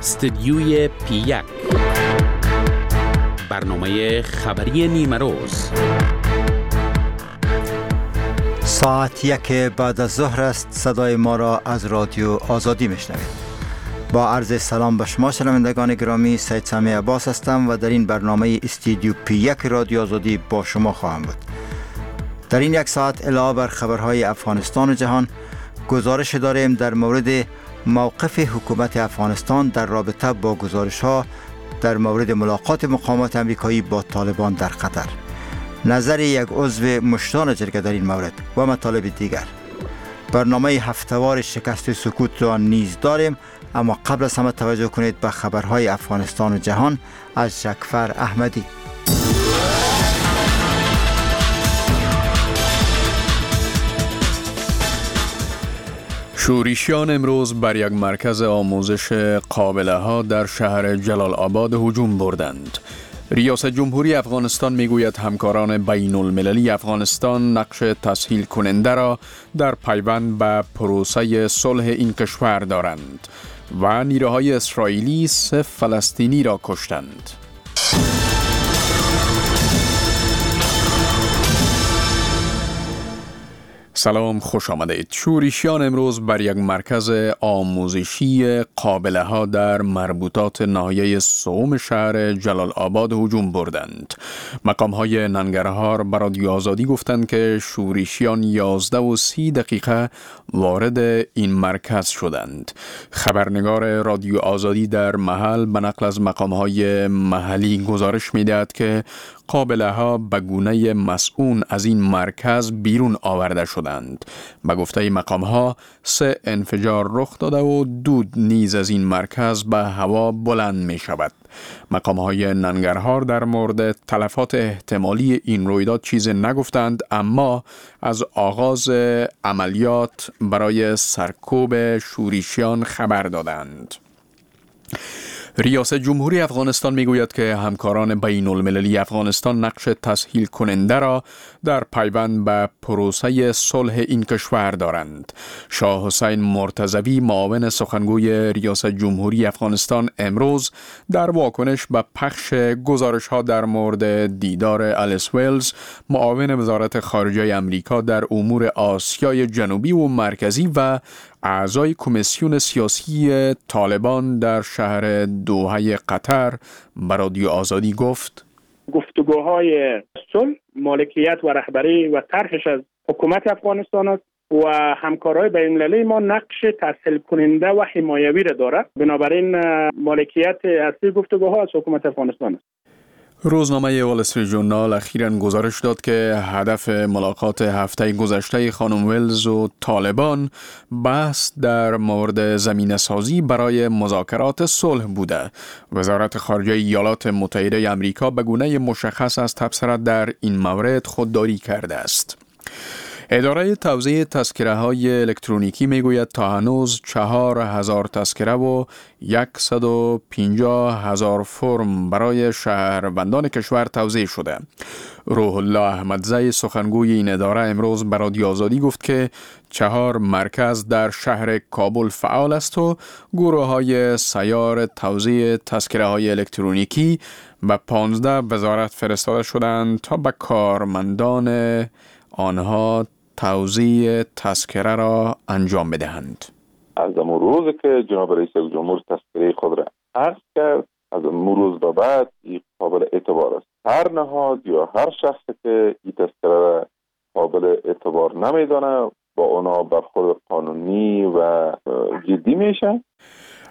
استدیوی پی 1، برنامه خبری نیمه روز. ساعت 1 بعد از ظهر است. صدای ما را از رادیو آزادی میشنوید. با عرض سلام به شما شنوندگان گرامی، سید سمیع عباس هستم و در این برنامه استودیو پی 1 رادیو آزادی با شما خواهم بود. در این یک ساعت علاوه بر خبرهای افغانستان و جهان، گزارش داریم در مورد موقف حکومت افغانستان در رابطه با گزارش‌ها در مورد ملاقات مقامات امریکایی با طالبان در قطر، نظر یک عضو مشتان جرگه در این مورد و مطالب دیگر. برنامه هفته‌وار شکست سکوت را نیز داریم، اما قبل از همه توجه کنید به خبرهای افغانستان و جهان از جکفر احمدی. شورشیان امروز بر یک مرکز آموزش قابله ها در شهر جلال آباد هجوم بردند. ریاست جمهوری افغانستان میگوید همکاران بین المللی افغانستان نقش تسهیل کننده را در پیوند به پروسه صلح این کشور دارند و نیروهای اسرائیلی 3 فلسطینی را کشتند. سلام، خوش آمدید. شورشیان امروز بر یک مرکز آموزشی قابله ها در مربوطات ناحیه سوم شهر جلال آباد هجوم بردند. مقام های ننگرهار برای رادیو آزادی گفتند که شورشیان 11:30 وارد این مرکز شدند. خبرنگار رادیو آزادی در محل به نقل از مقام های محلی گزارش می‌دهد که قابله ها به گونه مسئول از این مرکز بیرون آورده شدند. به گفته مقام ها 3 انفجار رخ داده و دود نیز از این مرکز به هوا بلند می شود. مقام های ننگرهار در مورد تلفات احتمالی این رویداد چیز نگفتند، اما از آغاز عملیات برای سرکوب شورشیان خبر دادند. ریاست جمهوری افغانستان میگوید که همکاران بین المللی افغانستان نقش تسهیل کننده را در پیوند به پروسه صلح این کشور دارند. شاه حسین مرتضوی، معاون سخنگوی ریاست جمهوری افغانستان، امروز در واکنش به پخش گزارش ها در مورد دیدار الیس ویلز، معاون وزارت خارجه امریکا در امور آسیای جنوبی و مرکزی و اعضای کمیسیون سیاسی طالبان در شهر دوحه قطر، به رادیو آزادی گفت: گفتگوهای صلح، مالکیت و رهبری و طرحش از حکومت افغانستان است و همکارای بین‌المللی ما نقش تسهیل کننده و حمایوی را دارد. بنابراین مالکیت اصلی گفتگوها از حکومت افغانستان است. روزنامه وال استریت ژورنال اخیراً گزارش داد که هدف ملاقات هفته گذشته خانم ویلز و طالبان بحث در مورد زمینه سازی برای مذاکرات صلح بوده. وزارت خارجه ایالات متحده آمریکا به گونه مشخص از تبصره در این مورد خودداری کرده است. اداره توزیع تذکره های الکترونیکی می گوید تا هنوز 4000 تذکره و 150,000 فرم برای شهروندان کشور توزیع شده. روح الله احمدزی، سخنگوی این اداره، امروز به رادیو آزادی گفت که 4 مرکز در شهر کابل فعال است و گروه های سیار توزیع تذکره های الکترونیکی به 15 وزارت فرستاده شدند تا به کارمندان آنها توزیع تذکره را انجام بدهند. از امون روز که جناب رئیس جمهور تذکره خود را عرض کرد، از امون روز به بعد این قابل اعتبار است. هر نهاد یا هر شخص که این تذکره را قابل اعتبار نمیدانه، با اونا برخورد قانونی و جدی میشه.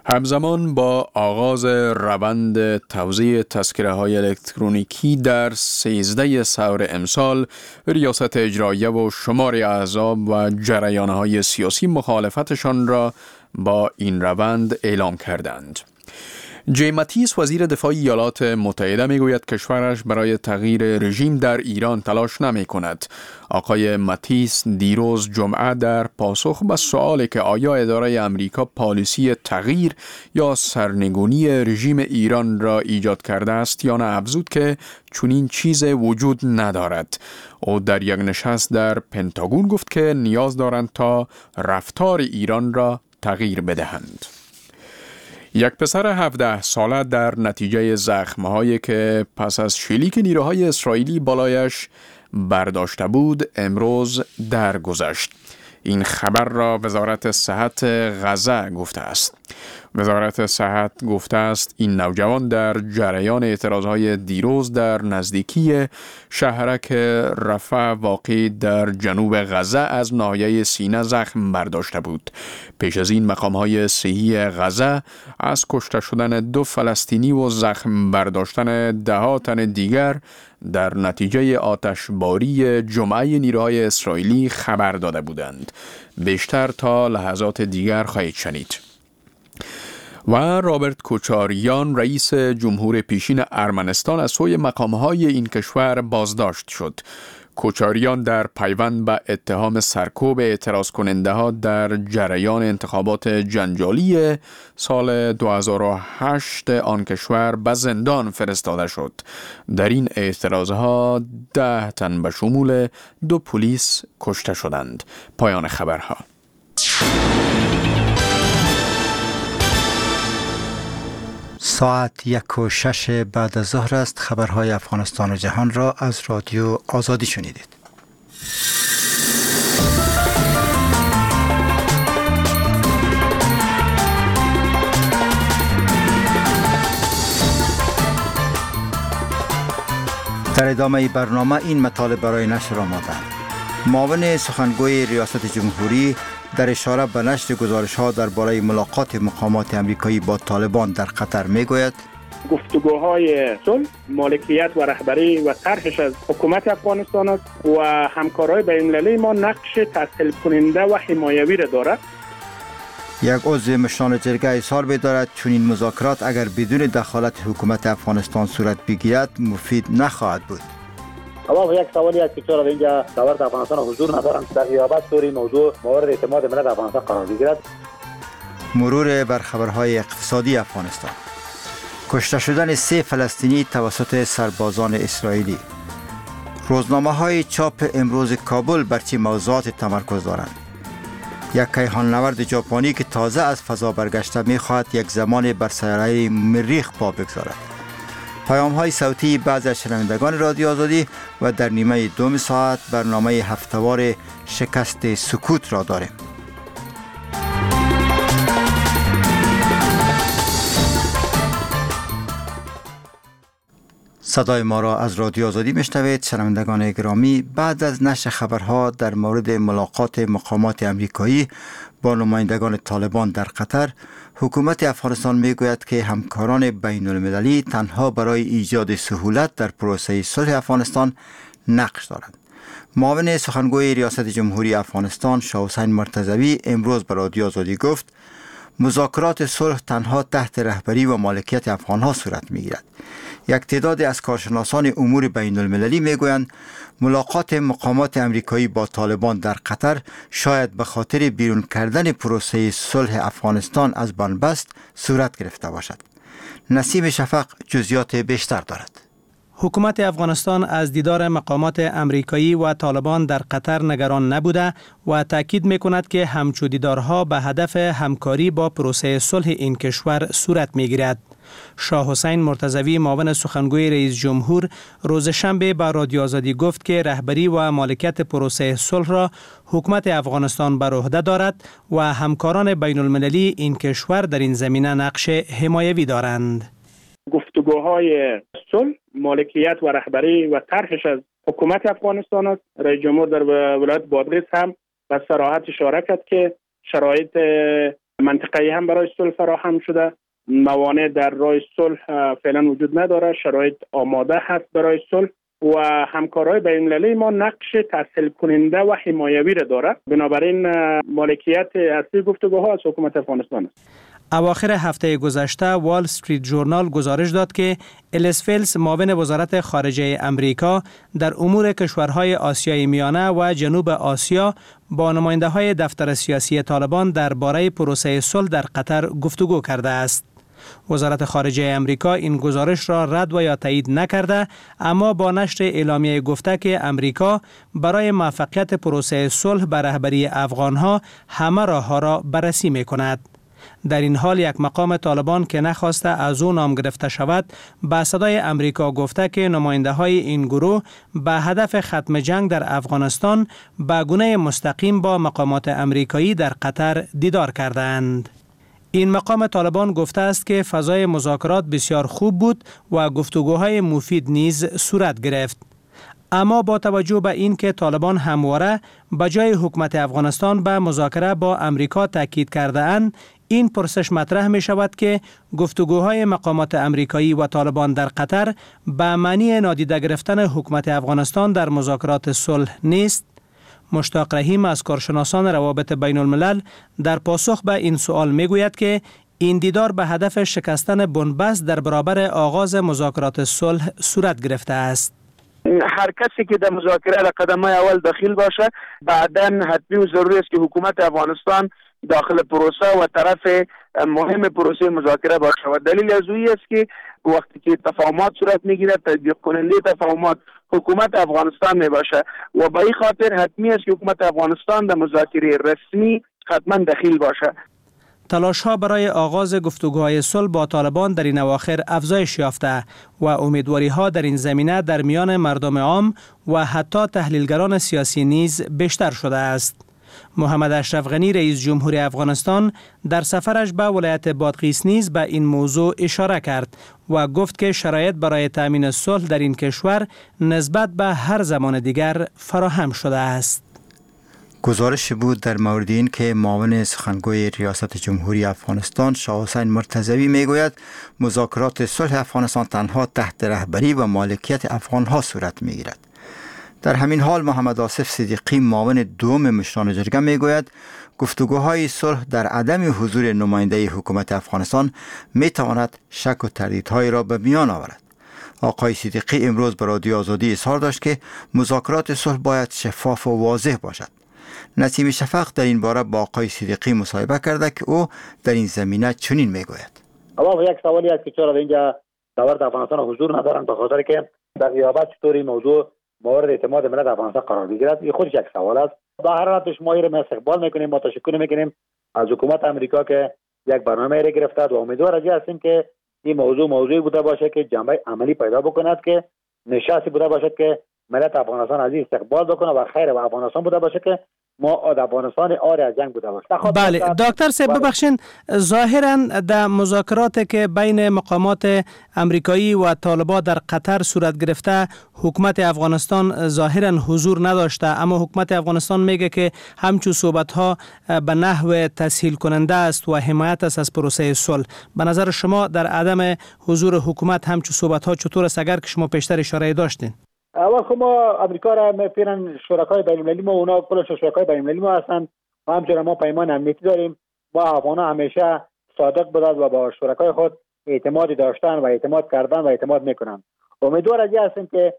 همزمان با آغاز روند توزیع تذکره های الکترونیکی در 13 ثور امسال، ریاست اجراییه و شمار احزاب و جریان های سیاسی مخالفتشان را با این روند اعلام کردند. جیم ماتیس، وزیر دفاع ایالات متحده، میگوید کشورش برای تغییر رژیم در ایران تلاش نمی کند. آقای ماتیس دیروز جمعه در پاسخ به سوالی که آیا اداره امریکا پالیسی تغییر یا سرنگونی رژیم ایران را ایجاد کرده است یا نه، افزود که چنین چیز وجود ندارد. او در یک نشست در پنتاگون گفت که نیاز دارند تا رفتار ایران را تغییر بدهند. یک پسر 17 ساله در نتیجه زخم‌هایی که پس از شلیک نیروهای اسرائیلی بالایش برداشته بود امروز درگذشت. این خبر را وزارت صحت غزه گفته است. وزارت صحت گفته است این نوجوان در جریان اعتراضهای دیروز در نزدیکی شهرک رفح واقع در جنوب غزه از ناحیه سینه زخم برداشته بود. پیش از این مقام‌های صحی غزه از کشته شدن 2 فلسطینی و زخم برداشتن 10 تن دیگر در نتیجه آتشباری جمعه نیروهای اسرائیلی خبر داده بودند. بیشتر تا لحظات دیگر خواهید شنید. و رابرت کوچاریان رئیس جمهور پیشین ارمنستان از سوی مقام‌های این کشور بازداشت شد. کوچاریان در پیوند به اتهام سرکوب اعتراض کننده ها در جریان انتخابات جنجالی سال 2008 آن کشور به زندان فرستاده شد. در این اعتراض ها 10 تن به شمول 2 پلیس کشته شدند. پایان خبرها. ساعت 1:06 بعد از ظهر است. خبرهای افغانستان و جهان را از رادیو آزادی شنیدید. در ادامه برنامه این مطالب برای نشر آمادند. معاون سخنگوی ریاست جمهوری در اشاره به نشر گزارش‌ها درباره ملاقات مقامات امریکایی با طالبان در قطر می‌گوید: گفتگوهای صلح، مالکیت و رهبری و طرحش از حکومت افغانستان است و همکارای بین‌المللی ما نقش تسهیل کننده و حمایوی را دارد. یک عضو مشران جرگه اظهار می‌دارد چنین مذاکرات اگر بدون دخالت حکومت افغانستان صورت بگیرد مفید نخواهد بود. اما یک سوالی است که چرا اینجا دولت افغانستان حضور ندارند در غیابت طوری موضوع مورد اعتماد ملت افغانستان قرار بگیرد. مرور بر خبرهای اقتصادی افغانستان. کشته شدن 3 فلسطینی توسط سربازان اسرائیلی. روزنامه‌های چاپ امروز کابل بر چه موضوعات تمرکز دارند؟ یک کیهان نورد ژاپنی که تازه از فضا برگشته می‌خواهد یک زمان بر سیاره مریخ پا بگذارد. پیام‌های صوتی بعضی از شنوندگان رادیو آزادی و در نیمه دوم ساعت برنامه هفته‌وار شکست سکوت را داریم. صدای ما را از رادیو آزادی میشنوید. شنوندگان گرامی، بعد از نشر خبرها در مورد ملاقات مقامات امریکایی با نمایندگان طالبان در قطر، حکومت افغانستان میگوید که همکاران بین المللی تنها برای ایجاد سهولت در پروسه صلح افغانستان نقش دارند. معاون سخنگوی ریاست جمهوری افغانستان شاه حسین مرتضوی امروز به رادیو آزادی گفت مذاکرات صلح تنها تحت رهبری و مالکیت افغانها صورت میگیرد. یک تعداد از کارشناسان امور بین المللی میگویند ملاقات مقامات امریکایی با طالبان در قطر شاید به خاطر بیرون کردن پروسه صلح افغانستان از بنبست صورت گرفته باشد. نسیم شفق جزئیات بیشتر دارد. حکومت افغانستان از دیدار مقامات امریکایی و طالبان در قطر نگران نبوده و تاکید میکند که همچو دیدارها به هدف همکاری با پروسه صلح این کشور صورت میگیرد. شاه حسین مرتضوی معاون سخنگوی رئیس جمهور روز شنبه با رادیو آزادی گفت که رهبری و مالکیت پروسه صلح را حکومت افغانستان بر عهده دارد و همکاران بین المللی این کشور در این زمینه نقش حمایوی دارند. گفتگوهای صلح، مالکیت و رهبری و طرحش از حکومت افغانستان است. رئیس جمهور در ولایت بادغیس هم به صراحت اشاره کرد که شرایط منطقه‌ای هم برای صلح فراهم شده، موانع در راه صلح فعلا وجود نداره، شرایط آماده هست برای صلح و همکارای بین المللی ما نقش تسهیل کننده و حمایوی را داره. بنابراین مالکیت اصلی گفتگوها از حکومت افغانستان است. اواخر هفته گذشته وال استریت جورنال گزارش داد که الیس فیلز معاون وزارت خارجه امریکا در امور کشورهای آسیای میانه و جنوب آسیا با نماینده‌های دفتر سیاسی طالبان درباره پروسه صلح در قطر گفتگو کرده است. وزارت خارجه امریکا این گزارش را رد و یا تایید نکرده، اما با نشر اعلامیه گفته که امریکا برای موفقیت پروسه صلح به رهبری افغانها همه راه‌ها را بررسی می‌کند. در این حال یک مقام طالبان که نخواسته از او نام گرفته شود به صدای امریکا گفته که نماینده های این گروه به هدف ختم جنگ در افغانستان به گونه مستقیم با مقامات امریکایی در قطر دیدار کردند. این مقام طالبان گفته است که فضای مذاکرات بسیار خوب بود و گفتگوهای مفید نیز صورت گرفت. اما با توجه به اینکه طالبان همواره به جای حکومت افغانستان به مذاکره با امریکا تاکید کرده اند، این پرسش مطرح می شود که گفتگوهای مقامات امریکایی و طالبان در قطر به معنی نادیده گرفتن حکومت افغانستان در مذاکرات صلح نیست؟ مشتاق رحیم از کارشناسان روابط بین الملل در پاسخ به این سوال می گوید که این دیدار به هدف شکستن بنبست در برابر آغاز مذاکرات صلح صورت گرفته است. هر کسی که در مذاکره در قدم اول دخیل باشه، بعداً حتمی و ضروری است که حکومت افغانستان داخل پروسه و طرف مهم پروسه مذاکره باشه و دلیل از اویی است که وقتی که تفاهمات صورت میگیره، تطبیق کننده تفاهمات حکومت افغانستان می باشه و به این خاطر حتمی است که حکومت افغانستان در مذاکره رسمی حتما دخیل باشه. تلاش ها برای آغاز گفتگوهای صلح با طالبان در این اواخر افزایش یافته و امیدواری ها در این زمینه در میان مردم عام و حتی تحلیلگران سیاسی نیز بیشتر شده است. محمد اشرف غنی، رئیس جمهور افغانستان، در سفرش به ولایت بادغیس نیز به این موضوع اشاره کرد و گفت که شرایط برای تامین صلح در این کشور نسبت به هر زمان دیگر فراهم شده است. گزارش بود در مورد این که معاون سخنگوی ریاست جمهوری افغانستان شاه حسین مرتضوی میگوید مذاکرات صلح افغانستان تنها تحت رهبری و مالکیت افغانها صورت میگیرد. در همین حال محمد آصف صدیقی، معاون دوم مشران جرگه، میگوید گفتگوهای صلح در عدم حضور نماینده حکومت افغانستان میتواند شک و تردیدهایی را به میان آورد. آقای صدیقی امروز به رادیو آزادی اظهار داشت که مذاکرات صلح باید شفاف و واضح باشد. نسیم شفق در این باره با آقای صدیقی مصاحبه کرده که او در این زمینه چنین میگوید. اول یک سوالی است که چرا اینجا دولت افغانستان حضور ندارن، به خاطر که در غیابت چطوری موضوع مورد اعتماد ملت افغانستان قرار بگیرد، این خودش یک سوال است. به هر حال ما این استقبال میکنیم، ما تشکر میکنیم از حکومت امریکا که یک برنامه را گرفته و امیدوار هستیم که این موضوع موضوعی بوده باشه که جنبه عملی پیدا بکند، که نشستی بوده باشد که ملت افغانستان از این استقبال بکنه و خیر و افغانستان بوده باشه که ما افغانستان آری از جنگ بوده باشه. بله دکتر صاحب، ببخشین، ظاهرا در مذاکرات که بین مقامات امریکایی و طالبان در قطر صورت گرفته، حکومت افغانستان ظاهرا حضور نداشته، اما حکومت افغانستان میگه که همچون صحبت ها به نحو تسهیل کننده است و حمایت است از پروسه صلح. به نظر شما در عدم حضور حکومت همچون صحبت ها چطور است، اگر که شما پیشتر اشاره داشتین؟ اول خب ما امریکا را فعلا شرکای بین المللی ما، اونا کلش شرکای بین المللی ما هستند و همچنین ما پیمان امنیتی داریم. ما افغان‌ها همیشه صادق بودند و با شرکای خود اعتماد داشتن و اعتماد کردن و اعتماد میکنن. امیدوار از هستیم که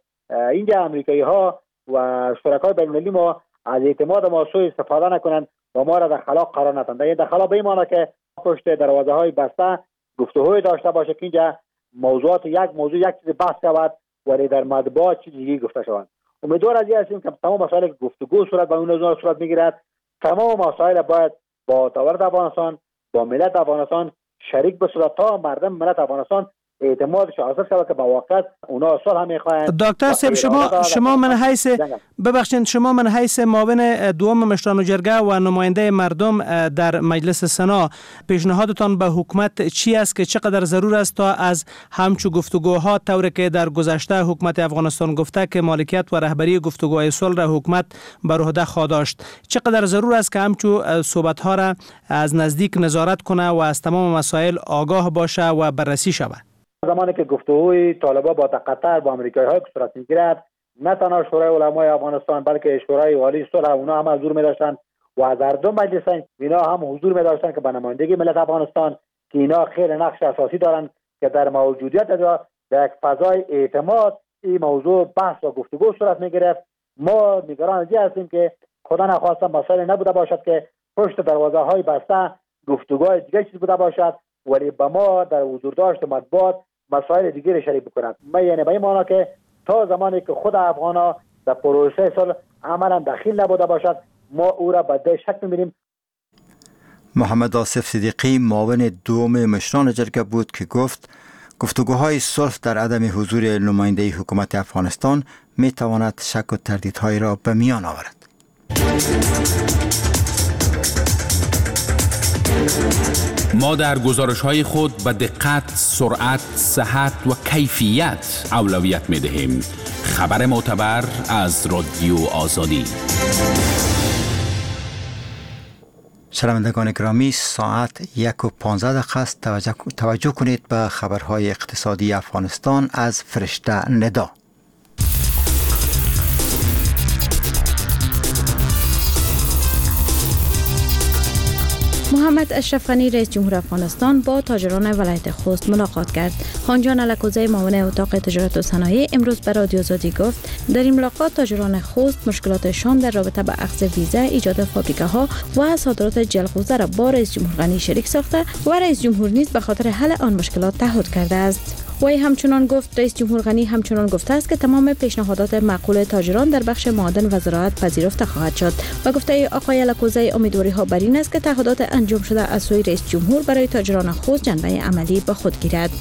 اینجا امریکایی ها و شرکای بین المللی ما از اعتماد ما سوء استفاده نکنند و ما را در خلا قرار ندن. در خلا به این معنی که پشت دروازه های بسته گفتگوی داشته باشه که اینجا موضوعات یک موضوع یک چیز بحث شود ولی در مطبوعات چیز دیگه گفته شوند. امیدوار از هستیم که تمام مسائل که گفتگو صورت با اون صورت میگیرد، تمام مسائل باید با دولت افغانستان، با ملت افغانستان شریک بشود تا مردم ملت افغانستان اعتمادش حاصل شود که با واقعیت اونا صلح هم میخواهند. دکتر صاحب، شما من حیث ببخشید، شما من حیث معاون دوم مشران جرگه و نماینده مردم در مجلس سنا، پیشنهادتان به حکومت چی است که چقدر ضرور است تا از همچو گفتگوها طوری که در گذشته حکومت افغانستان گفته که مالکیت و رهبری گفتگوهای صلح را حکومت بر عهده خواهد داشت، چقدر ضرور است که همچو صحبت ها را از نزدیک نظارت کنه و از تمام مسائل آگاه باشه و بررسی شود؟ زمانی که گفتگوی طالبان با قطر با آمریکایی‌ها که صورت می‌گیرد، نه تنها شورای علمای افغانستان بلکه شورای عالی صلح اونا هم حضور می‌داشتند و از هر دو مجلس اینا هم حضور می‌داشتند که به نمایندگی ملت افغانستان که اینا خیلی نقش اساسی دارند که در موجودیت در یک فضای اعتماد این موضوع بحث و گفتگو صورت می‌گرفت. ما نگران از این هستیم که خدا نخواسته مسائل نبوده باشد که پشت دروازه‌های بسته گفتگوهای دیگه چیز بوده باشد، ولی به ما در حضور داشت مطبوعات مسائل دیگه شریک بکنند. ما یعنی به این معنا که تا زمانی که خود افغان‌ها در پروسه صلح عملا دخیل نبوده باشد، ما او را به شک می‌بینیم. محمد آصف صدیقی معاون دوم مشران جرگه بود که گفت گفتگوهای صلح در عدم حضور نماینده حکومت افغانستان می تواند شک و تردیدهای را به میان آورد. ما در گزارش‌های خود به دقت، سرعت، صحت و کیفیت اولویت می‌دهیم. خبر معتبر از رادیو آزادی. شنوندگان گرامی، ساعت 1:15 است. توجه کنید به خبرهای اقتصادی افغانستان از فرشته ندا. محمد اشرف غنی رئیس جمهور افغانستان با تاجران ولایت خوست ملاقات کرد. خانجان الکوزی معاون اتاق تجارت و صنایع امروز به رادیو آزادی گفت در این ملاقات تاجران خوست مشکلاتشان در رابطه با اخذ ویزا، ایجاد فابریکه ها و صادرات جلغوزه را با رئیس جمهور غنی شریک ساخته و رئیس جمهور نیز به خاطر حل آن مشکلات تعهد کرده است. وی همچنان گفت رئیس جمهور غنی همچنان گفته است که تمام پیشنهادات معقول تاجران در بخش معادن و زراعت پذیرفته خواهد شد. و گفته آقای الکوزی امیدواری ها بر این است که تعهدات انجام شده از سوی رئیس جمهور برای تاجران خود جنبه عملی به خود گیرد.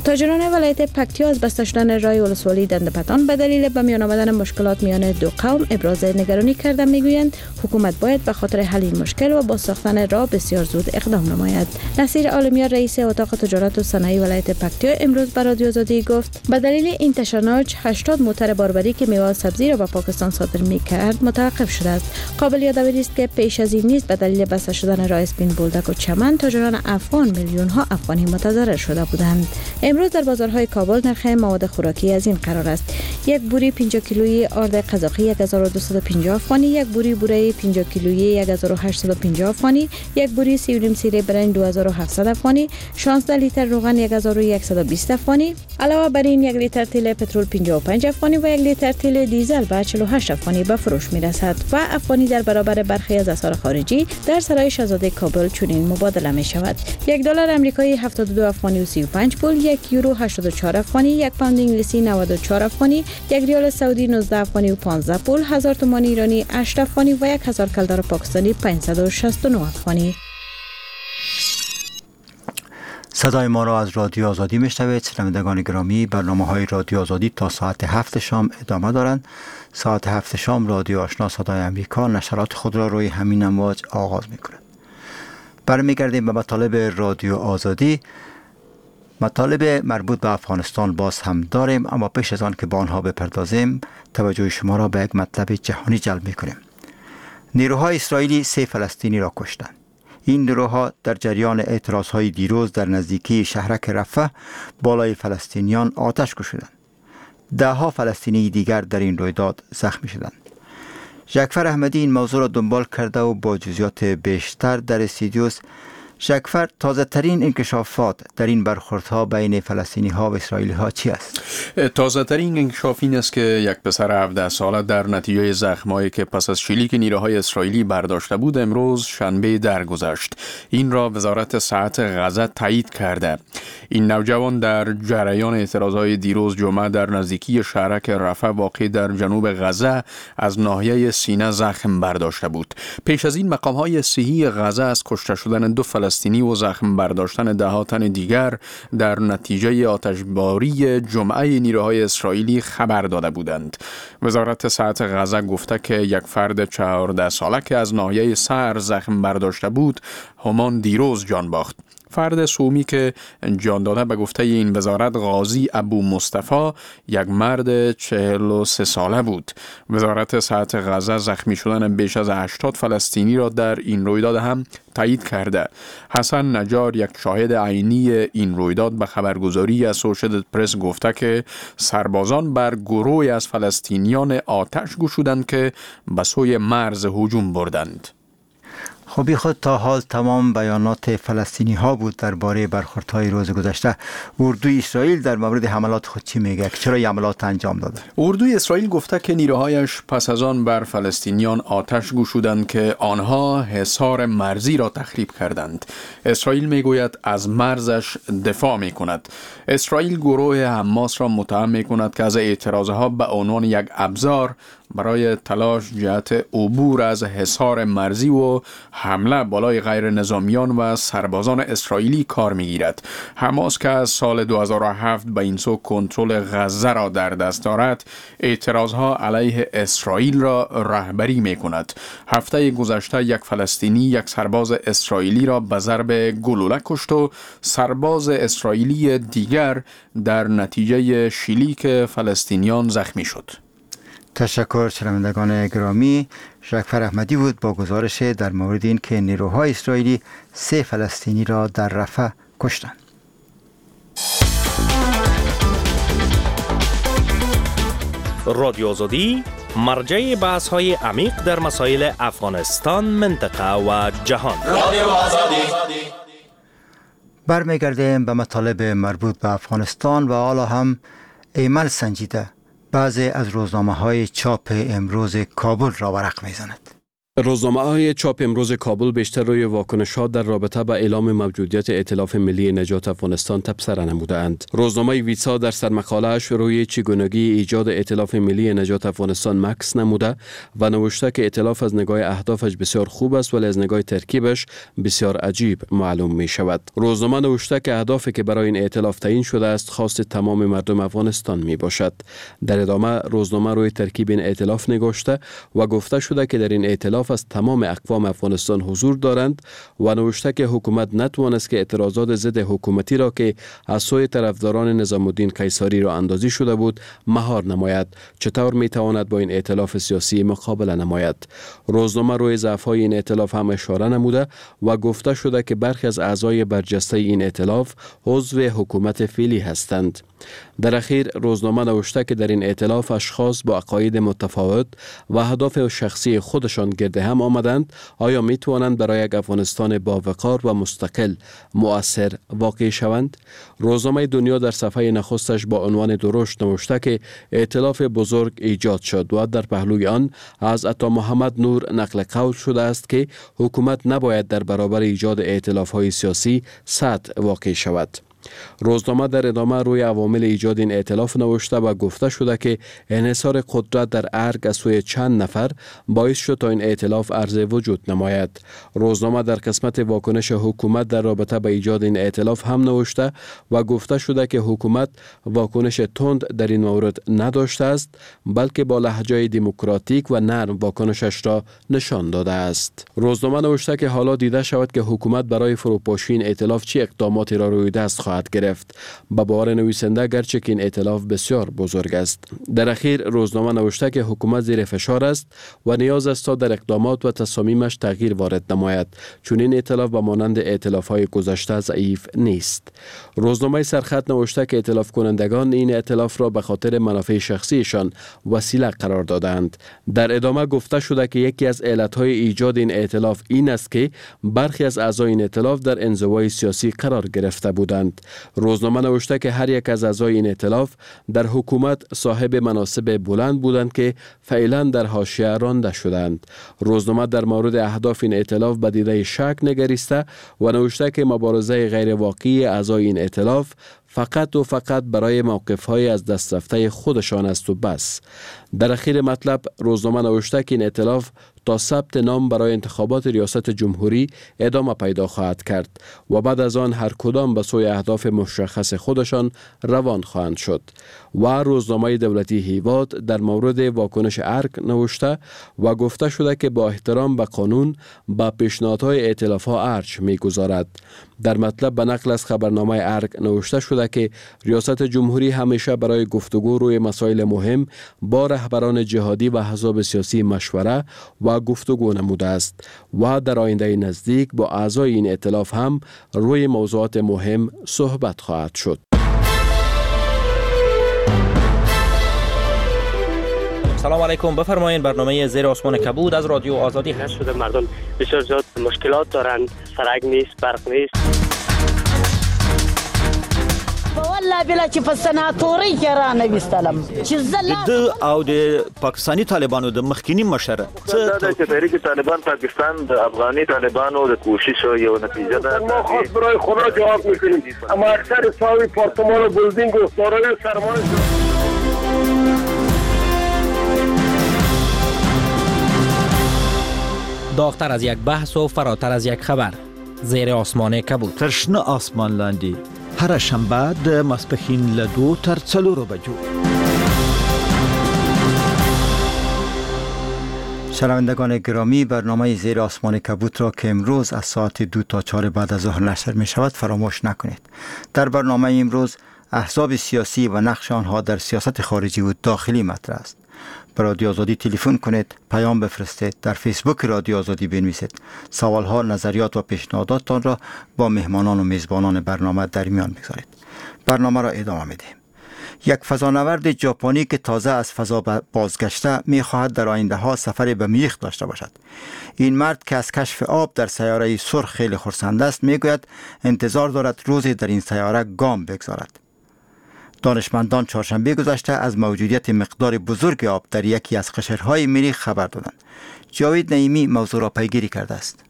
تاجران ولایت پکتیا از بسته شدن راه ولسوالی دندپتان به دلیل به میان آمدن مشکلات میان دو قوم ابراز نگرانی کرده میگویند حکومت باید به خاطر حل این مشکل و باز ساختن راه بسیار زود اقدام نماید. نصیر عالمیار رئیس اتاق تجارت و صنایع ولایت پکتیا امروز به رادیو آزادی گفت به دلیل این تشنج 80 موتر باربری که میوه و سبزی را به پاکستان صادر میکرد متوقف شده است. قابل یادآوری است که پیش از این نیز به دلیل بسته شدن راه اسپین بولدک و چمن تاجران افغان میلیون ها افغانی متضرر شده بودند. امروز در بازارهای کابل نرخ مواد خوراکی از این قرار است: یک بوری 50 کیلویی آرد قزاقی 1250 افغانی، یک بوری بوره 50 کیلویی 1850 افغانی، یک بوری 3.5 سیره برنج 2700 افغانی، 16 لیتر روغن 1120 افغانی. علاوه بر این یک لیتر تیل پترول 55 افغانی و یک لیتر تیل دیزل به 48 افغانی به فروش میرسد و افغانی در برابر برخی از اسعار خارجی در سرای شاهزاده کابل چنین مبادله می شود: یک دلار آمریکایی 72 افغانی و 35 پول، یک یورو 84 افغانی، یک پوند انگلیسی 94 افغانی، یک ریال سعودی 19 افغانی و 15 پول، 1000 تومان ایرانی 8 افغانی و 1000 کلدار پاکستانی 569 افغانی. صدای ما را از رادیو آزادی میشنوید. شنوندگان گرامی، برنامه‌های رادیو آزادی تا ساعت 7 شام ادامه دارند. ساعت 7 شام رادیو آشنا صدای آمریکا نشرات خود را روی همین امواج آغاز می‌کند. برمیگردیم به مطالب رادیو آزادی. مطالب مربوط به افغانستان باز هم داریم، اما پیش از آن که به آنها بپردازیم توجه شما را به یک مطلب جهانی جلب می‌کنیم. نیروهای اسرائیلی 3 فلسطینی را کشتند. این نیروها در جریان اعتراض‌های دیروز در نزدیکی شهرک رفح بالای فلسطینیان آتش گشودند. ده‌ها فلسطینی دیگر در این رویداد زخمی شدند. جعفر احمدی این موضوع را دنبال کرده و با جزئیات بیشتر در استودیوس. جعفر، تازه ترین انکشافات در این برخوردها بین فلسطینی ها و اسرائیلی ها چی است؟ تازه ترین انکشاف این است که یک پسر 17 ساله در نتیجه زخمایی که پس از شلیک نیروهای اسرائیلی برداشته بود امروز شنبه درگذشت. این را وزارت صحت غزه تایید کرده. این نوجوان در جریان اعتراضهای دیروز جمعه در نزدیکی شهرک رفح واقع در جنوب غزه از ناحیه سینه زخم برداشته بود. پیش از این مقام‌های صحی غزه از کشته شدن 2 فلسطینی و زخم برداشتن ده تن دیگر در نتیجه آتشباری جمعه نیروهای اسرائیلی خبر داده بودند. وزارت صحت غزه گفته که یک فرد 14 ساله که از ناحیه سر زخم برداشته بود همان دیروز جان باخت. فرد سومی که جان داده به گفته این وزارت غازی ابو مصطفی یک مرد 43 ساله بود. وزارت صحت غزه زخمی شدن بیش از 80 فلسطینی را در این رویداد هم تایید کرده. حسن نجار یک شاهد عینی این رویداد به خبرگزاری اسوسییتد پرس گفته که سربازان بر گروهی از فلسطینیان آتش گشودند که به سوی مرز هجوم بردند. خب خود تا حال تمام بیانات فلسطینی ها بود درباره برخوردهای روز گذشته. اردوی اسرائیل در مورد حملات خود چی میگه؟ چرا این حملات انجام داده؟ اردوی اسرائیل گفته که نیروهایش پس از آن بر فلسطینیان آتش گشودند که آنها حصار مرزی را تخریب کردند. اسرائیل میگوید از مرزش دفاع میکند. اسرائیل گروه حماس را متهم میکند که از اعتراضها به عنوان یک ابزار برای تلاش جهت عبور از حصار مرزی و حمله بالای غیر نظامیان و سربازان اسرائیلی کار میگیرد. حماس که از سال 2007 به این سو کنترل غزه را در دست دارد، اعتراضها علیه اسرائیل را رهبری میکند. هفته گذشته یک فلسطینی یک سرباز اسرائیلی را به ضرب گلوله کشت و سرباز اسرائیلی دیگر در نتیجه شلیک فلسطینیان زخمی شد. تشکر شنوندگان گرامی. شکفر احمدی بود با گزارش در مورد این که نیروهای اسرائیلی 3 فلسطینی را در رفح کشتند. رادیو آزادی، مرجع بحث‌های عمیق در مسائل افغانستان، منطقه و جهان. رادیو آزادی. برمیگردیم به مطالب مربوط به افغانستان و حالا هم ایمل سنجیده بعضی از روزنامه‌های چاپ امروز کابل را ورق می‌زند. روزنامه‌های چاپ امروز کابل بیشتر روی واکنش‌ها در رابطه با اعلام موجودیت ائتلاف ملی نجات افغانستان تبصره نمودند. روزنامه ویسا در سرمقاله‌اش روی چگونگی ایجاد ائتلاف ملی نجات افغانستان مکث نموده و نوشته که ائتلاف از نگاه اهدافش بسیار خوب است ولی از نگاه ترکیبش بسیار عجیب معلوم می‌شود. روزنامه نوشته که اهدافی که برای این ائتلاف تعیین شده است خواست تمام مردم افغانستان می‌باشد. در ادامه روزنامه روی ترکیب این ائتلاف نگاشته و گفته شده که در این ائتلاف از تمام اقوام افغانستان حضور دارند و نوشته که حکومت نتوانست که اعتراضات ضد حکومتی را که از سوی طرفداران نظام الدین قیصاری را اندازی شده بود مهار نماید. چطور می تواند با این ائتلاف سیاسی مقابله نماید؟ روزنامه روی ضعف‌های این ائتلاف هم اشاره نموده و گفته شده که برخی از اعضای برجسته این ائتلاف عضو حکومت فعلی هستند. در اخیر روزنامه نوشته که در این ائتلاف اشخاص با عقاید متفاوت و اهداف شخصی خودشان گرد هم آمدند. آیا می توانند برای یک افغانستان با وقار و مستقل مؤثر واقع شوند؟ روزنامه دنیا در صفحه نخستش با عنوان درشت نوشته که ائتلاف بزرگ ایجاد شد و در پهلوی آن از عطا محمد نور نقل قول شده است که حکومت نباید در برابر ایجاد ائتلاف‌های سیاسی سد واقع شود. روزنامه در ادامه روی عوامل ایجاد این ائتلاف نوشته و گفته شده که انحصار قدرت در ارگ از سوی چند نفر باعث شد تا این ائتلاف عرض وجود نماید. روزنامه در قسمت واکنش حکومت در رابطه با ایجاد این ائتلاف هم نوشته و گفته شده که حکومت واکنش تند در این مورد نداشته است، بلکه با لهجه دموکراتیک و نرم واکنشش را نشان داده است. روزنامه نوشته که حالا دیده شود که حکومت برای فروپاشی این ائتلاف چه اقداماتی را روی دست خواهد گرفت. به باور نویسنده گرچه که این ائتلاف بسیار بزرگ است. در اخیر روزنامه نوشته که حکومت زیر فشار است و نیاز است تا در اقدامات و تصامیمش تغییر وارد نماید، چون این ائتلاف به مانند ائتلاف‌های گذشته ضعیف نیست. روزنامه سرخط نوشته که ائتلاف کنندگان این ائتلاف را به خاطر منافع شخصیشان وسیله قرار دادند. در ادامه گفته شده که یکی از علت‌های ایجاد این ائتلاف این است که برخی از اعضای این ائتلاف در انزوای سیاسی قرار گرفته بودند. روزنامه نوشته که هر یک از اعضای این ائتلاف در حکومت صاحب مناصب بلند بودند که فعلا در حاشیه رانده شدند. روزنامه در مورد اهداف این ائتلاف به دیده شک نگریسته و نوشته که مبارزه غیر واقعی اعضای این ائتلاف فقط و فقط برای موقف‌های از دست رفته خودشان است و بس. در اخیر مطلب روزنامه نوشته که این ائتلاف تا ثبت نام برای انتخابات ریاست جمهوری ادامه پیدا خواهد کرد و بعد از آن هر کدام به سوی اهداف مشخص خودشان روان خواهند شد. و روزنامه دولتی هیواد در مورد واکنش ارگ نوشته و گفته شده که با احترام به قانون با پیشنهادهای ائتلاف‌ها ارج می‌گذارد. در مطلب به نقل از خبرنامه ارگ نوشته شده که ریاست جمهوری همیشه برای گفتگو روی مسائل مهم با رهبران جهادی و احزاب سیاسی مشوره و گفتگو نموده است و در آینده نزدیک با اعضای این ائتلاف هم روی موضوعات مهم صحبت خواهد شد. سلام علیکم، بفرمایید برنامه زیر آسمان کبود از رادیو آزادی هست. شده مردم بسیار زیاد مشکلات دارند، سرک نیست، برق نیست. والله بلا چې په سناتوري کې را نه وستلم چې زه د او د پاکستاني طالبانو د مخکینی مشر څه چې تحریک طالبان پاکستان د افغاني طالبانو د کوشش یو نتیجه ده. ما خواست برای خدا جواب میکنیم، اما اکثر صاحب پارتمان و بلدینگ و دارای سرمایه. داغتر از یک بحث و فراتر از یک خبر، زیر آسمان کبود. تر شنه آسمان لاندې هره شنبه د ماسپښین له 2 تر 4 بجو. شنوندگان گرامی، برنامه زیر آسمان کبود را که امروز از ساعت 2 تا 4 بعد از ظهر نشر می شود فراموش نکنید. در برنامه امروز احزاب سیاسی و نقش آنها در سیاست خارجی و داخلی مطرح است. به رادیو آزادی تلفن کنید، پیام بفرستید، در فیسبوک رادیو آزادی بنویسید. سوالها، نظریات و پیشنهاداتتان را با مهمانان و میزبانان برنامه در میان بگذارید. برنامه را ادامه می‌دهیم. یک فضانورد ژاپنی که تازه از فضا بازگشته می‌خواهد در آینده ها سفر به مریخ داشته باشد. این مرد که از کشف آب در سیاره سرخ خیلی خرسند است، میگوید انتظار دارد روزی در این سیاره گام بگذارد. دانشمندان چهارشنبه گذشته از موجودیت مقدار بزرگ آب در یکی از قشرهای مریخ خبر دادند. جاوید نعیمی موضوع را پیگیری کرده است.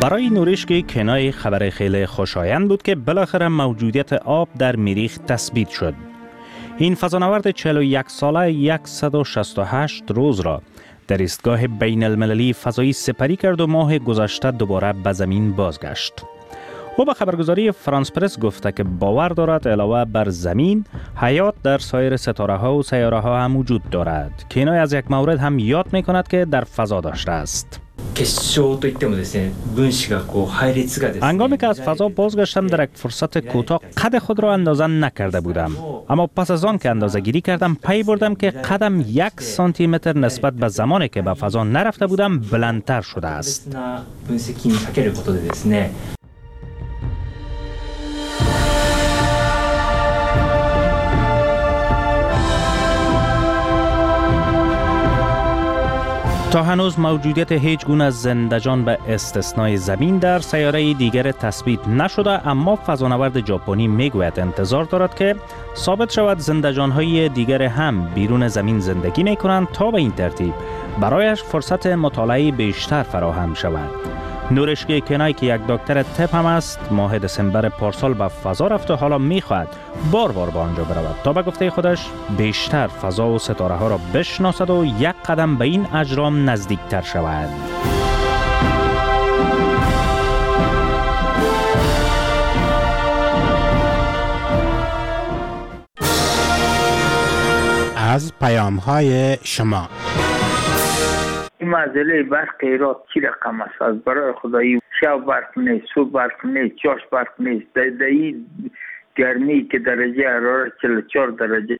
برای نوریشکی کنای خبر خیلی خوشایند بود که بالاخره موجودیت آب در مریخ تثبیت شد. این فضانورد 41 ساله 168 روز را در ایستگاه بین المللی فضایی سپری کرد و ماه گذشته دوباره به زمین بازگشت. او به خبرگزاری فرانس پرس گفته که باور دارد علاوه بر زمین، حیات در سایر ستاره ها و سیاره ها هم وجود دارد. کینای از یک مورد هم یاد می کند که در فضا داشته است. هنگامی که از فضا بازگشتم در یک فرصت کوتاه قد خود را اندازه نکرده بودم، اما پس از آن که اندازه گیری کردم پی بردم که قدم 1 سانتی متر نسبت به زمانی که به فضا نرفته بودم بلندتر شده است. تا هنوز موجودیت هیچ گونه زندجان به استثنای زمین در سیاره دیگر تثبیت نشده، اما فضانورد ژاپنی میگوید انتظار دارد که ثابت شود زندجان‌های دیگر هم بیرون زمین زندگی میکنند تا به این ترتیب برایش فرصت مطالعه بیشتر فراهم شود. نورشکی کنای که یک دکتر طب هم است، ماه دسامبر پارسال به فضا رفت و حالا میخواهد بار بار به آنجا برود تا به گفته خودش بیشتر فضا و ستاره ها را بشناسد و یک قدم به این اجرام نزدیکتر شود. از پیام های شما. این معضله برق ایران چی رقم است؟ از برای خدایی شب برق نیست، صبح برق نیست، چاش برق نیست. در این گرمی که درجه حرارت 44 درجه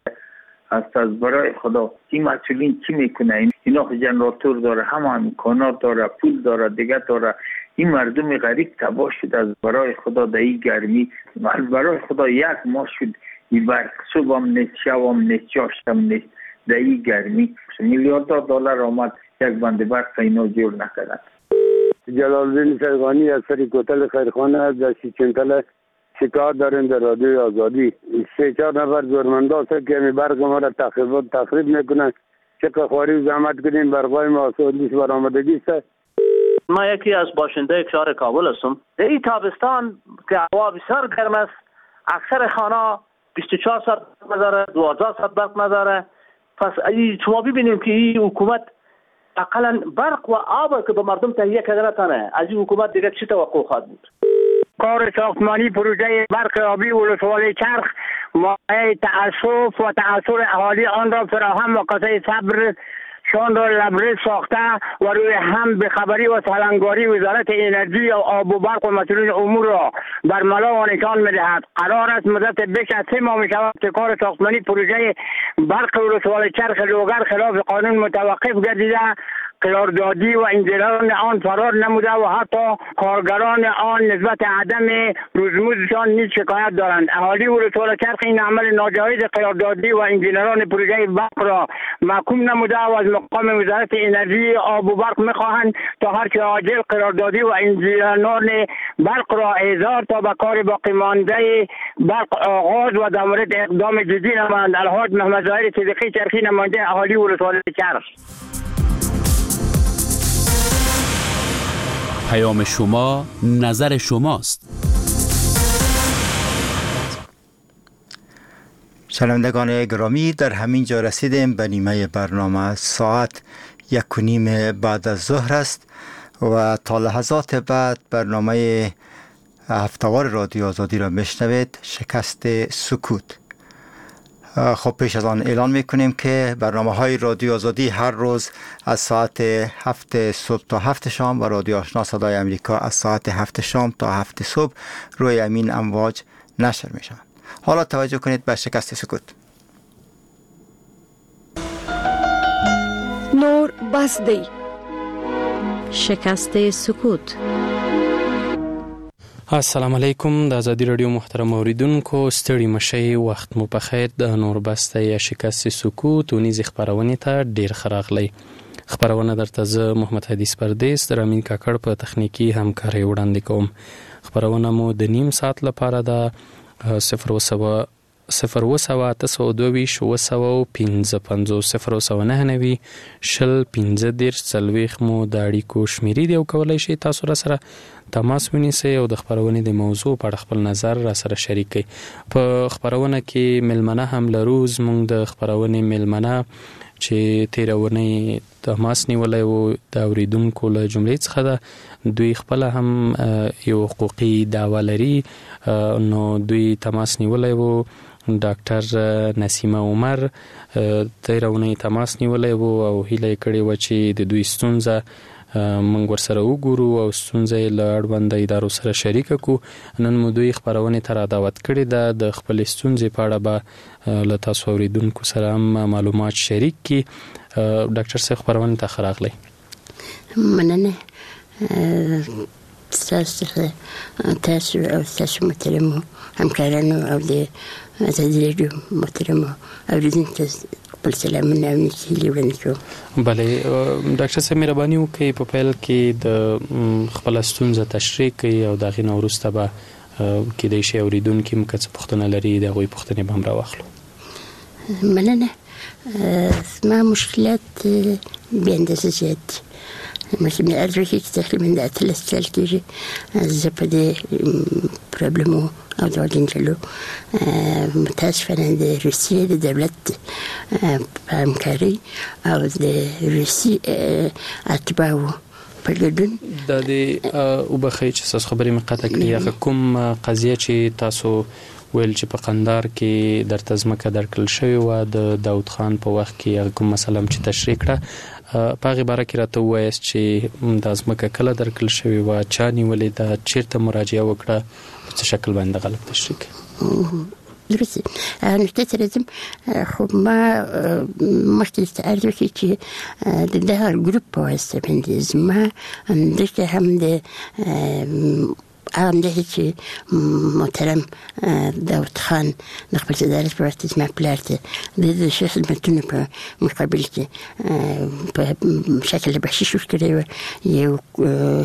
است، از برای خدا این مسئولین چی میکنه؟ اینا جنراتور داره، هم امکانات داره، پول داره، دیگه داره. این مردم غریب تباه شد از برای خدا در این گرمی. از برای خدا یک ماه شد این برق صبح هم نیست، شب هم نیست، چاشت هم نیست. در این گرمی میلیاردها دلار آمد، یک بند برق اینا جور نکردن. جلالدین سرغانی از سری کوتل خیرخانه در سیچنتل شکار داریم در رادیوی آزادی. 3-4 نفر زورمنده هست که می برق ما را تخریب میکنن. چقدر خواری و زحمت کنیم برقای ما آسودیش برآمدگی است. ما یکی از باشنده شهر کابل هستم. در این تابستان که هوا بسیار گرم است، اکثر خانه 24 ساعت نداره، 12 ساعت برق نداره. پس شما ببینیم که این حکومت اقلا برق و آب که به مردم تهیه کرده نتانه، از این حکومت دیگه چی توقع خواهد بود؟ کار ساختمانی پروژه برق آبی ولسوالی چرخ مایه تأسف و تأثر اهالی آن را فراهم و کاسه صبر شان را لبریز ساخته و روی هم به خبری و سلنگاری وزارت انرژی و آب و برق و مسئولین امور را بر ملا و نشان می‌دهد. قرار است مدت بیش از 3 ماه می‌شود که کار ساختمانی پروژه برق ولسوالی چرخ لوگر خلاف قانون متوقف گردیده، قراردادی و انجینران آن فرار نموده و حتی کارگران آن نسبت عدم روزمزدشان نیز شکایت دارند. اهالی ولسوالی چرخ این عمل ناجایز قراردادی و انجینران پروژه برق را محکوم نموده و از مقام وزارت انرژی آب و برق میخواهند تا هرچه عاجل قراردادی و انجینران برق را احضار تا به کار باقی مانده برق آغاز و در مورد اقدام جدی نمایند. الحاج محمد ظاهر صدیقی چرخی، نماینده اهالی ولسوالی چرخ. پیام شما نظر شماست. شنوندگان گرامی، در همین جا رسیدیم به نیمه برنامه. ساعت 1:30 بعد از ظهر است و تا لحظات بعد برنامه هفته‌وار رادیو آزادی را میشنوید، شکست سکوت. خب پیش از آن اعلان میکنیم که برنامه های رادیو آزادی هر روز از ساعت 7 صبح تا 7 شام و رادیو آشنا صدای امریکا از ساعت 7 شام تا 7 صبح روی امین امواج نشر میشوند. حالا توجه کنید به شکست سکوت. نور بس دی. شکست سکوت. السلام علیکم د ازادي رادیو محترم اوریدونکو، ستړي مشي، وخت مو په خیر. د نور بسته یا شکست سکوت اونیزې خپرونې ته ډیر ښه راغلی. خپرونه درته زه محمد حدیث پردیس د رامین کاکړ په تخنیکي همکارۍ وړاندې کوم. خپرونه مو د نیم ساعت لپاره ده. 0 0 822 755 0 99 شل 15 40 مو د اړیکو شمیرې دی او کولای شئ تاسو را سره تماس ونیسئ او د خپرونې د موضوع په اړه خپل نظر را سره شریک کړئ. په خپرونه کې میلمنه هم لرو. زموږ د خپرونې میلمنه چې تېره اونۍ تماس نیولی و د اورېدونکو له جملې څخه ده. دوی خپله هم یو حقوقي دعوه لري، نو دوی تماس نیولی و. ډاکټر نسیمه عمر تېره اونۍ تماس نیولی و او هیله یې کړې وه چې د دوی ستونزه موږ ورسره وګورو او ستونزه یې له اړونده ادارو سره شریکه کړو. نن مو دوی خپرونې ته را دعوت کړې ده. د خپلې ستونزې په اړه به له تاسو اورېدونکو سره هم معلومات شریک کړي. ډاکټر صاحب، خپرونې ته ښه راغلی. مننه ستاسو څخه، تاسو او ستاسو محترمو همکارانو او د ازادي راډیو محترمو اورېدونکو ته خپل سلامونه او نیکې هیلې وړاندې کوم. بله ډاکټر صاحب، مهرباني وکړئ په پیل کې د خپله ستونزه تشریح کړئ او د هغې نه وروسته به کېدای شي اورېدونکي هم که څه پوښتنه لري د هغوی پوښتنې به هم راواخلو. مننه. زما مشکلات بې اندازه زیات دي. مثلا عرض وکړي چې تقریبا د 18 کال کېږي زه په دې پرابلمو او دغو جنجالو متاسفانه د روسیې د دولت په همکارۍ او د روسي اتباعو په ګډون دا دې وبخښئ چې ستاسو خبرې مې قطع کړې. هغه کوم قضیه چې تاسو ویل چې په قندار کې درته ځمکه درکړل شوې وه د داود خان په وخت کې، هغه کوم مسله هم چې تشریح کړه په هغې باره کې راته ووایاست چې دا ځمکه کله درکړل شوې وه، چا نیولې ده، چېرته مراجعه وکړه، په څه شکل باندې غلط تشریح کړئ. درست نکته ته راځم. خو ما مخکې درته عرض وکړي چې د دغه ګروپ په واسطه باندې زما دلته هم د هغه همداسې چې محترم داود خان د خپل صدارت په وخت زما پلار ته د ده ښه خدمتونو په مقابل کې په شکل بخشش ورکړی و، یو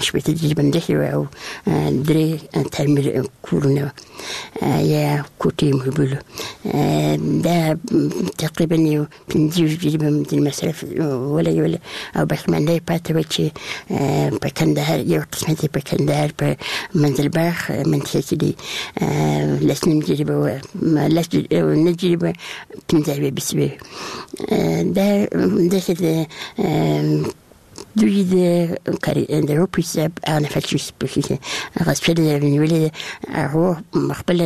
60 جریبه مځکه وه او 3 تعمیر کورونه وه یا کوټې مو بولو. دا تقریبا یو 25 جریبه د مصرف ولګوله او باقیمانده یې پاتې وه چې په کندهار یو قسمت یې په کندهار په منزلباغ منطقه کې دی 10.5 جریبه وه، 9 جریبه 75 بسوې. دا داسې د دوی د د په حساب هغه نفر چې پکې غصب شوی دی نیولې ده، هغو خپل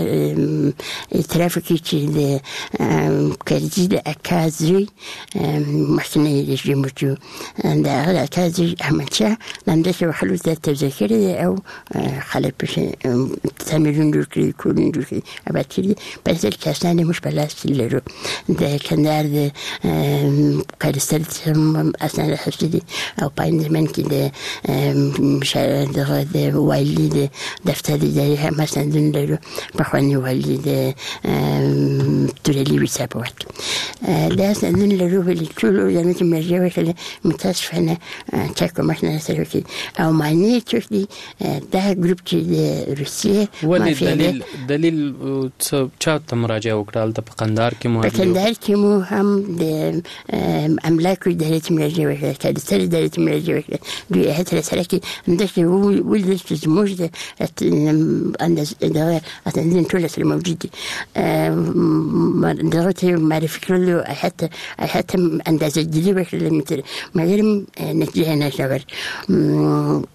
اعتراف وکړي چې د کرزي د اکا زوی مخکنی رژیم و چې د هغه د اکا زوی احمدشاه د همداسې خلکو ته توزیع کړی دی او خلک پکې تعمیرونه جوړ کړي، کورونه جوړ کړي، اباد کړي دي. په اصل کې اسناد یې موږ په لاس کې لرو. د کندهار د کادستر هم اسناد اخیستي دي او په عین زمان کې د دغه د والي د دفتر ادارې هم اسنادونه لرو. پخواني والي د تورلي ویسا په وخت کې دا اسنادونه لرو، ولې ټولو ارګانونو ته مراجعه وکړه، متاسفانه چا کومک نه راسره وکړي او معنی یې څوک دي دا ګروپ چې د روسیې ولې دلیل څه چا ته مراجعه وکړه؟ هلته په قندهار کې مو په کندهار کې مو هم د املاکو ادارې ته مراجعه وکړه، کادستر ادارې ته مراجعه وکړه، دوی هیئت سره کې همداسې ولیدل چې زموږ د دغه اسناد ټول سره موجود دي. دغه ته معرفي کړلو، هیئت اندازه ګیري وکړله، مګر نتیجه نه شوه.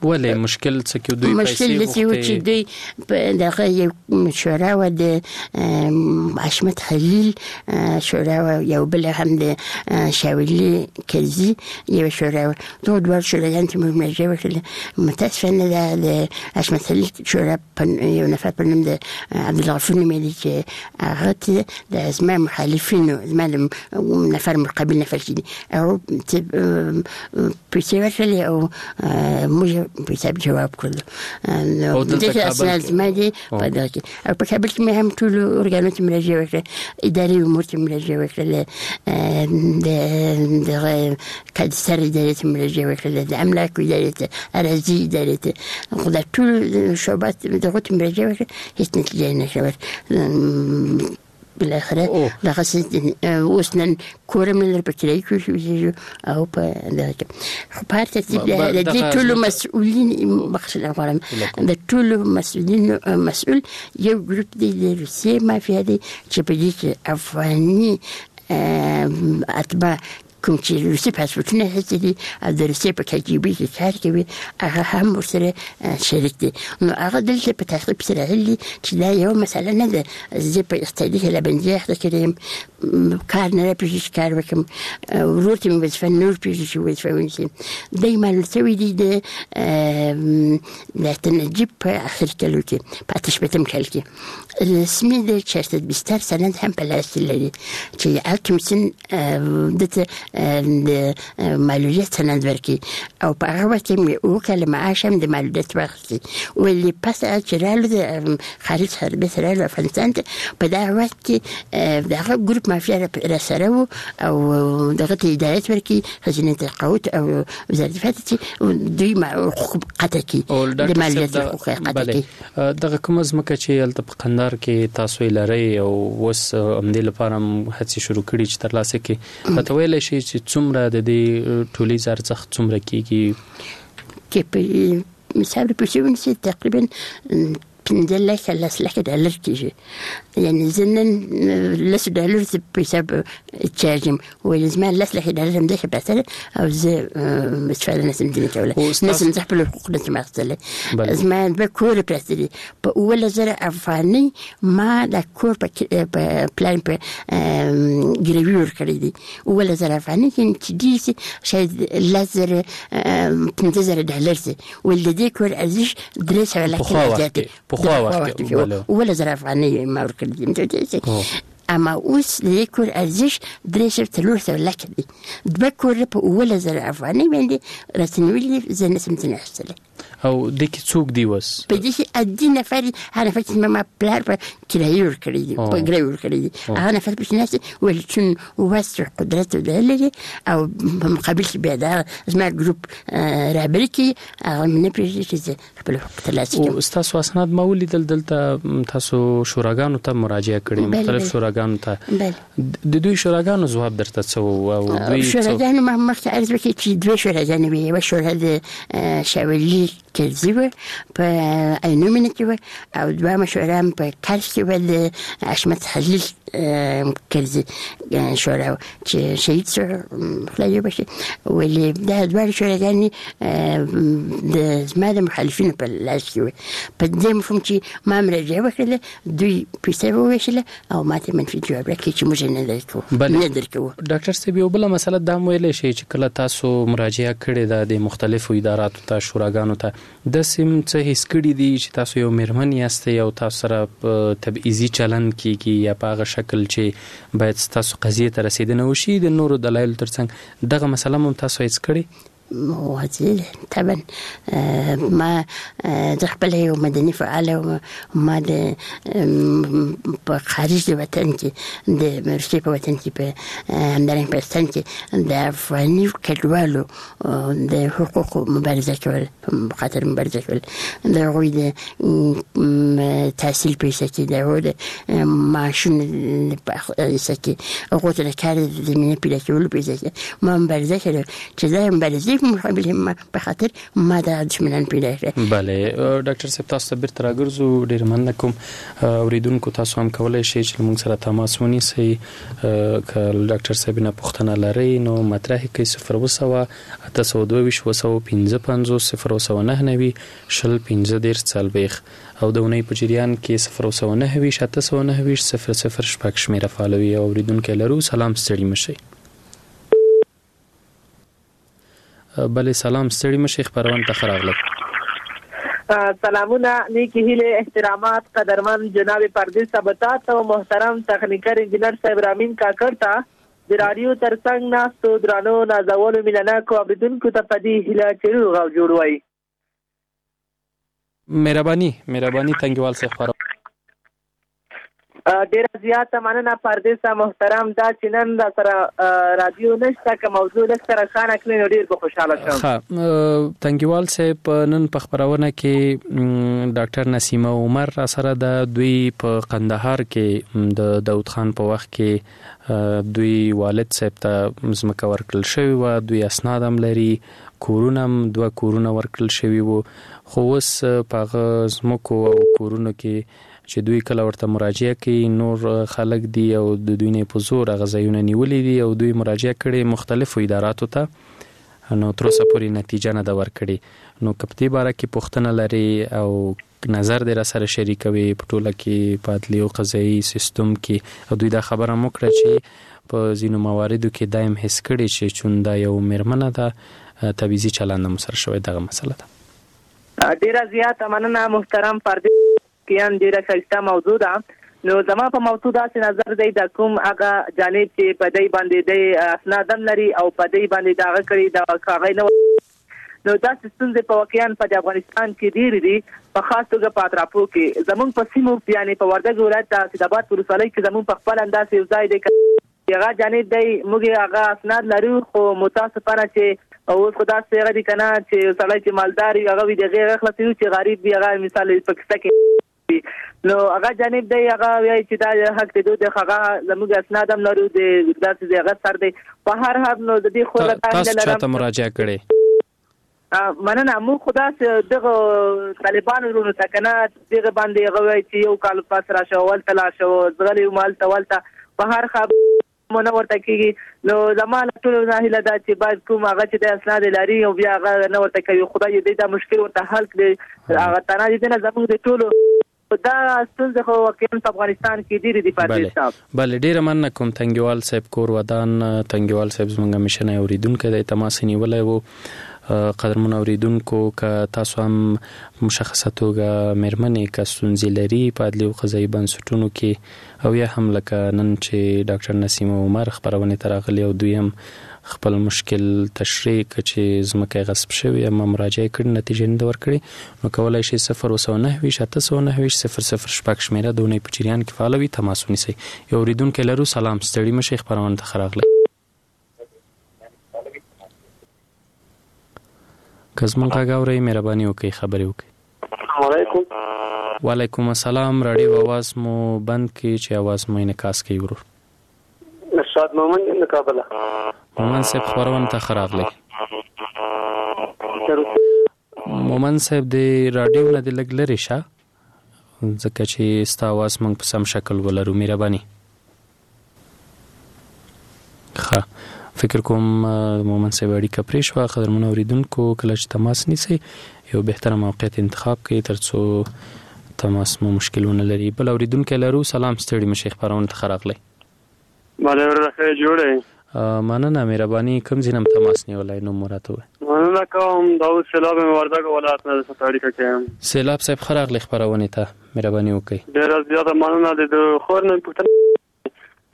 ولې مشکل څه کې دوی پیسې مشکل داسې و چې دوی دغه یو شورا وه د حشمت خلیل شورا وه، یو بل هم د شاولي کرزي یوه شورا وه. دغو دواړو شوراګانو ته موږ مراجعه وکړله. متاسفانه د حشمت خلیل شورا یو نفر په نوم د عبدالغفور نومېده چې هغه ته د زما مخالفینو، زما د نفر مقابل نفر چې دي، هغه پیسې ورکړلې او موږ پیسې جواب کړلو. دغه اسناد زما دي په دغه کې. او په کابل کې مې هم ټولو ارګانو ته مراجعه وکړه، اداري امور ته مراجعه وکړله، دغه کادستر ادارې ته مراجعه وکړله، د املاکو ادارې ته، اراضي ادارې ته، خو دا ټول شعبات دغو ته مراجعه وکړه، هېڅ نتیجه یې نه شوه. بالاخره دغه اوس نن کور هم نه لرو، په کرایي کور کې اوسېږو او په دغه کې. خو په هر ترتیب د دې ټولو مسؤلین بخښنه غواړم، د ټولو مسؤلینو مسؤل یو ګروپ دی، د روسیې مافیا دی چې په دې کې افغاني اتباع کوم چې روسي پاسپورټونه اخیستي دي او د روسیې په کجبي کې کار کوي، هغه هم ورسره شریک دي. نو هغه دلته په تعقیب سره راغلي دي چې دا یوه مسله نه ده، زه په اقتصادي هیلهبندي اخته کړی یم، کار نه راپېږي چې کار وکړم، ورور ته مې وظیفه نه ورپېږي چې وظیفه ونیسي. دی معلول شوی دی د نجیب په اخر کلو کې، په 68 کال کې رسمي د 420 سند هم په لاس کې لري چې هغه کمیسیون ده ته د معلولیت سند ورکړي او په هغه وخت کې مې 7 کاله معاش هم د معلولیت واخیستی. ولې پس چې رالو د خارج څخه بېرته رالو افغانستان ته، په دغه وخت کې دغه ګروپ مافیا راسره و او دغه ته هدایت ورکړي، خزینې تقاعد او وزارت دفاع ته چې دوی حقوق قطع کړي، د معلولیت حقوق قطع کړي. دغه کومه ځمکه چې هلته په قندهار کې تاسو یې لرئ او اوس همدې لپاره هم هڅې شروع کړي چې ترلاسه کړي، راته ویلی شئ چې څومره د دې ټولیز ارزښت څومره کیږي؟ چې په حساب پیسې ونیسي تقریبا 5 لکه 10 لکه ډالر کېږي. یعنې زه نن 10 ډالر په حساب چارج یم، ولې زما 10 لکه ډالر همداسې پرته ده او زه استفاده نشم ځینې کولی، نشم زه خپل حقوق نشم اخیستلی. زما دوه کوره پراته دي، په 17,000 افغانۍ ما دا کور په پلان په ګروي ورکړی دی. 17,000 افغانۍ یعنې چې ډېر شي شاید 10,000 15,000 ډالر شي، ولې د دې کور ارزش 300 لکه زیات دی. پخوا وخت کې 17,000 افغانۍ ما ورکړي دي. اما اوس د دې کور ارزش 300-400 لکه دی. دوه کوره په 17,000 افغانۍ باندې راته نیولي دي، زه نشم ځینې اخیستلی. او دې کې څوک دی اوس؟ په دې کې عادي نفر، هغه نفر چې ما پلار په کرایې ورکړی دی، په ګروي ورکړی دی، هغه نفر پکې ناست دی، ولې چون وس قدرت لري او په مقابل کې بیا دا زما ګروپ رهبري کوي، هغه مې نه پرېږدي چې زه خپل حقوق ترلاسه کړم. ستاسو اسناد ما ولیدل، دلته تاسو شوراګانو ته مراجعه کړې، مختلف شوراګانو ته، د دوی شوراګانو ځواب درته څه و؟ او دوی شوراګانو ما مخکې عرض وکړ چې دوه شوراګانې وې، یوه شورا د شاولي کرزي وه په عینومینه کې وه، او دوهمه شورا هم په کرز کې وه د حشمت خلیل کرزي شورا وه چې شهید شو، خدای یې وبخښي. ولې دا دواړه شوراګانې د زما د مخالفینو په لاس کې وې، په دې مفهوم چې ما مراجعه وکړله، دوی پیسې وویشله او ما ته منفي جواب راکړ چې موږ یې نه درکوو. ډاکټر صاحب یو بله مسله دا هم ویلی شئ چې کله تاسو مراجعه کړې ده د مختلفو اداراتو ته، شوراګانو ته، داسې هم څه حس کړي دي چې تاسو یو میرمن یاستئ او تاسو سره تبعیضي چلند کیږي یا په هغه شکل چې باید ستاسو قضیې ته رسېدنه وشي د نورو دلایلو ترڅنګ دغه مسله هم تاسو حس کړې؟ واضح طبعا. ما زه خپله یو مدني فعاله وم، ما د په خارج د وطن کې، د روسیې په وطن کې، په همدارنګه په پاکستان کې د افغاني کډوالو د حقوقو مبارزه کول، په خاطر مبارزه کول، د هغوی د تحصیل په حصه کې، د هغوی د معاشونو په حصه کې، هغو ته د کار د زمینې پیدا کولو په حصه کې ما مبارزه کړې چې دا مبارزې په مقابل په خاطر ما دا دښمنان پیدا کړل. بله ډاکټر صاحب، تاسو ته بیرته راګرځو. ډیر مننه کوم. اوریدونکو، تاسو هم کولای شئ چې موږ سره تماس ونیسئ. که ډاکټر صاحب نه پوښتنه لرئ نو مطرح کړئ. 0700 822 755، 0799 20 35 40 او د اونۍ په جریان کې 0729 829 006 شمېره فعالوي. او اوریدونکی لرو. سلام، ستړي مشئ. بله، سلام، ستړي مشئ، خپرونې ته ښه راغلی. سلامونه، نیکی هیلې، احترامات قدرمن جناب پردیس صاحب ته او محترم تخنیکر انجینر صاحب رامین کاکړ ته، د راډیو ترڅنګ ناستو درانو نازولو مینهناکو اورېدونکو ته په دې هیله چې روغ او جوړ وئ. مهرباني، مهرباني تنګیوال صاحب، خپرونه. ډیره زیاته مننه پردیسه محترم. دا چې نن را سره رادیو نشته، که موضوع لږ سره روښانه کړئ نو ډیر به خوشحاله شم. ښه، تنګیوال صاحب، نن په خپرونه کې ډاکټر نسیمه عمر را سره ده. دوی په قندهار کې د داود خان په وخت کې دوی والد صاحب ته ځمکه ورکړل شوې وه. دوی اسناد هم لري، کورونه هم، دوه کورونه ورکړل شوي وو، خو اوس په هغه ځمکو او کورونو کې چې دوی کله ورته مراجعه کوي، نور خلک دي او د دوی نه په زور هغه ځایونه نیولي دي او دوی مراجعه کړې مختلفو اداراتو ته، نو تر اوسه پورې نتیجه نه ده ورکړې. نو که په دې باره کې پوښتنه لري او نظر دې را سره شریکوي په ټوله کې په عدلي او قضایي سیستم کې. او دوی دا خبره هم وکړه چې په ځینو مواردو کې دا هم حس کړي چې چون دا یو میرمنه ده، تبعیضي چلند هم سره شوی. دغه مسله ده. ډیره زیاته مننه محترم پردیس. کیان، ډیره ښایسته موضوع ده. نو زما په موضوع داسې نظر دی، د کوم هغه جانب چې په دی باندې دی اسناد هم لري او په دی باندې دغه کړي د هغه نه، نو داسې ستونزې په واقعا په افغانستان کې ډېرې دي، په خاص توګه په اطرافو کې، زمونږ په سیمو، یعنې په وردګ ولایت د اسعداباد ولسوالۍ کې زمونږ په خپل انداز یو ځای دی، هغه جانب دی، موږ هغه اسناد لرو، خو متاسفانه چې اوس خو داسې هغه دي که نه چې سړی چې مالدار وي هغه وي د هغې هغه خلاصوي، چې غریب وي هغه مثال په کیسه کې. نو هغه جانب دی، هغه وایي چې دا حق دی دوی، هغه زموږ اسناد هم لرو، د داسې هغه سر دی. په هر حال نو د دې خو تاسو چاته مراجعه کړې؟ مننه، موږ خو داسې دغه طالبانو ورونو ته که نه دغه باندې هغه وایي چې یو کال پس راشه، هلته لاړ شه، ځغلې وم هلته ولته، په هر حال مو نه ورته کېږي. نو زما له ټولو نه هیله ده چې باید کوم هغه چې د اسناد لري او بیا هغه نه ورته کوي، خدای دې دا مشکل ورته حل کړي. هغه تنها دې نه، زموږ د ټولو دا ستونزې خو واقعا په افغانستان کې ډېرې دي پردیس صاحب. بله، ډېره مننه کوم تنګیوال صاحب، کور ودان. تنګیوال صاحب زموږ همیشنی اورېدونکی دی، تماس یې نیولی و. قدرمن اوریدونکو، که تاسو هم مشخصه توګه میرمنې که ستونزې لري په عدلي او قضایي بنسټونو کې او یا هم لکه نن چې ډاکټر نسیمه عمر خپرونې ته راغلي او دوی هم خپل مشکل تشریح کړ چې ځمکه یې غصب شوې اما مراجعه یې کړې، نتیجه نه ده ورکړې، نو کولای شئ 0729 829 006 شمېره د اونۍ په جریان کې فعاله وي، تماس ونیسئ. یو اوریدونکی لرو. سلام، ستړي مه شئ، خپرونې ته ښه راغلئ. که زموږ غږ اورئ مهرباني وکړئ خبرې وکړئ. السلام علیکم. وعلیکم السلام. راډیو اواز مو بند کړئ چې اواز مو انعکاس کوي ورور. ارشاد مومند یم د کابله. مومند صاحب، خپرونې ته ښه راغلئ. مومند صاحب، د راډیو نه دې لږ لرې شه ځکه چې ستا اواز موږ په سم شکل ولرو، مهرباني. ښه، فکر کوم مومند صاحب اړیکه پرې شوه. قدرمنو اوریدونکو، کله چې تماس نیسئ یو بهتره موقعیت انتخاب کړئ ترڅو تماس مو مشکل ونه لري. بل اوریدونکی لرو. سلام، ستړي مه شئ، خپرونې ته ښه راغلئ. بله وروره، ښه یې جوړ یې؟ مننه، مهرباني. کوم ځای نه مو تماس نیولی، نوم مو راته ووایه. مننه کوم، داود سیلاب یم، وردګو ولایت نه درسره اړیکه کې یم. سیلاب صاحب، ښه راغلې خپرونې ته، مهرباني وکړئ. ډېره زیاته مننه. د خور نه مې پوښتنه،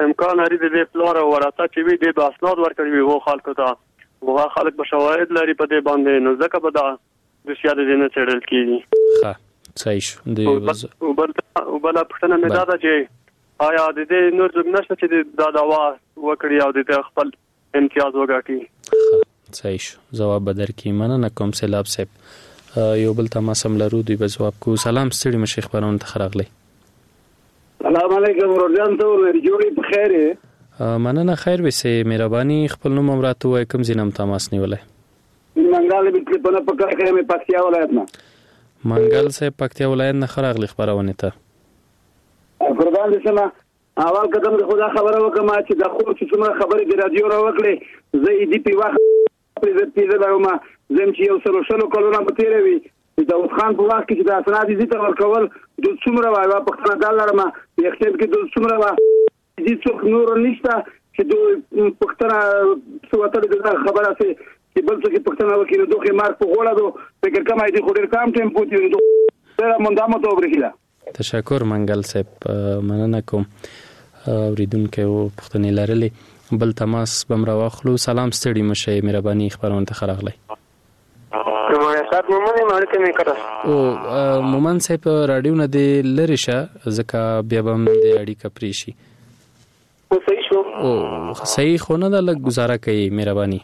امکان لري د دې پلار او ورثه چې وي دې به اسناد ورکړي وي هغو خلکو ته، هغه خلک به شواهد لري په دې باندې، نو ځکه به دا دوسیه د دې نه څېړل کېږي. ښه، صحیح شو. د او بله پوښتنه مې دا ده چې آیا د دې نور څوک نشته چې دا دعوا وکړي او د دې خپل امتیاز وګټي؟ ښه، صحیح شو، ځواب به درکړي. مننه کوم سیلاب صاحب. یو بل تماس هم لرو، دوی به ځواب کوو. سلام، ستړي مه شئ، خپرونې ته ښه راغلئ. سلام علیکم ورور جان، ته ورور جوړ یې په خیر یې؟ مننه، خیر ویسې، مهرباني. خپل نوم هم راته ووایه، کوم ځای نه هم تماس نیولی؟ منګل به تلفن په کار کې مې پکتیا ولایت نه. منګل صاحب پکتیا ولایت نه ښه راغلی خپرونې ته. قربان دې شم. اول قدم د خدا خبره وکم چې د خور چې څومره خبرې د رادیو را وکړې، زه یې دی په وخت پرې زه پیژنم وم. زم چې یو سلو شلو کلونه به تېره وي، د داود خان په وخت کې چې د اسناد یې ته ورکول، دوی څومره وه، یوه پوښتنه دا لرم یخچال کې دوی څومره وه، دې څوک نور نشته چې دوی پوښتنه څه وتلې دغه خبره سي چې بل څوک پوښتنه وکړي، نو دوی مرګ په غوړه دو فکر کوم دې خو ډېر کم ټایم پوتې نو ډېره مونده مو ته وبرېښله. تشکر منګل صاحب، مننه کوم. اوریدونکی و پوښتنې لرلې. بل تماس به هم راواخلو. سلام، ستړي مه شئ، مهرباني خپرونې ته ښه راغلی. او مومن صاحب راډیو نه دې لرې شه ځکه بیا به هم دې اړیکه پرې شي. صحیح شو؟ او صحیح خو نه ده، لږ ګزاره کوي مهرباني.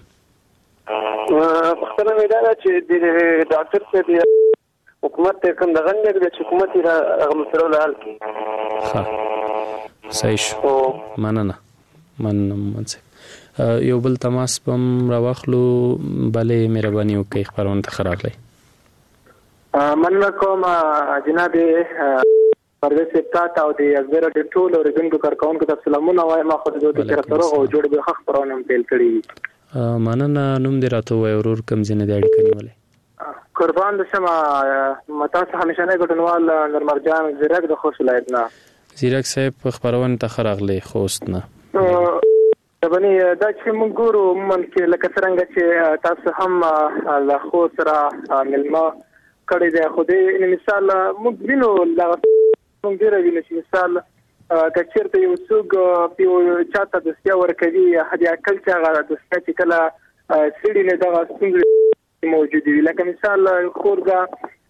پوښتنه مې دا ده چې د ډاکټر صاحب حکومت ته کوم دغه نه دی چې حکومت یې هغه مسله له حل کړي. ښه صحیح شو، مننه مننه مومن صاحب. یو بل تماس به هم راواخلو. بله مهرباني وکړئ، خپرونې ته ښه راغلی. مننه کوم جناب پرویز صاحب تاته او د ازادي راډیو ټولو اورېدونکو کارکوونکو ته سلامونه وایم. خو د دوی تر سره او جوړ به ښه خپرونه هم پیل کړې وي. مننه. نوم دې راته ووایه ورور، کوم ځای نه دې اړیکه نیولې؟ قربان دې شم، تاسو همیشنی ګډونوال نورمرجان زیرک د خوست ولایت نه. زیرک صاحب خپرونې ته ښه راغلې خوست نه. ربني دا چې موږ ګورو عموماً کې لکه څرنګه چې تاسو هم له خوست سره مېلمه کړی دی، خو دې مثال موږ وینو، موږ ډېره وینو چې مثال که چېرته یو څوک یو چاته دوسیه ورکوي، حد اقل چې هغه دوسیه چې کله څېړي نو دغه ستونزې موجودې وي. لکه مثال خور ده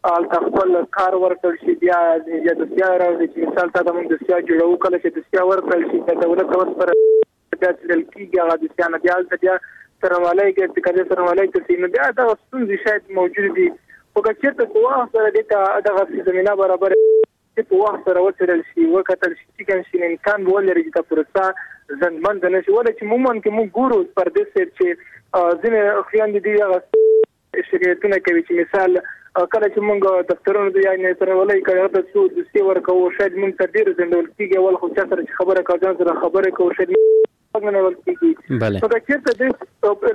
هلته خپل کار ورکړل شي، بیا بیا دوسیه راوړي چې مثال تا ته موږ دوسیه جوړوو، کله چې دوسیه ورکړل شي د دولت ته وسپارل بیا څېړل کېږي هغه دوسیه نه، بیا هلته بیا څارنوالۍ کې قضیه څارنوالۍ ته ځي، نو بیا دغه ستونزې شاید موجودې دي. خو که چېرته په وخت سره دې ته دغسې زمینه برابره چې په وخت سره وڅېړل شي، وکتل شي، چې کوم شي امکان به ولري چې دا پروسه ځنډمنده نه شي. ولې چې عموماً کې موږ ګورو پردیس صاحب چې ځینې خویندې دي هغه شکایتونه کوي چې مثال کله چې موږ دفترونو ته یا څارنوالۍ کړې هلته څو دوسیې ورکوو، شاید موږ ته ډېر ځنډول کېږي. اول خو چا سره چې خبره کوو، ځان سره خبرې کوو، شاید نه نیول کېږي. نو که چېرته دې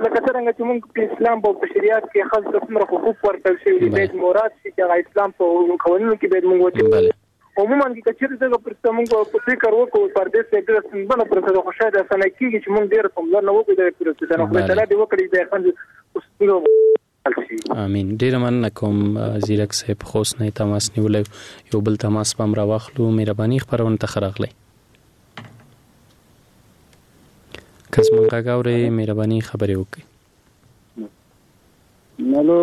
لکه څرنګه چې موږ په اسلام په شریعت کې ښځو ته څومره حقوق ورکړل شوي دي، باید مراد شي چې هغه اسلام په قوانینو کې باید موږ وچېړو. عموماً که چېرته دغه پروسه موږ په فکر وکړو، پردیس صاحب ډېره ستونزمنه پروسه ده، خو شاید اسانه کېږي چې موږ ډېره پاملرنه وکړو دغې پروسې ته. نو خدای تعالی دې وکړي چې د ښځو ستونزه حل شي. امین. ډېره مننه کوم زیرک صاحب، خوست نه یې تماس نیولی. یو بل تماس به هم راواخلو. مهرباني، خپرونې ته ښه راغلی. که زموږ غږ اورئ مهرباني خبرې وکړئ. الو.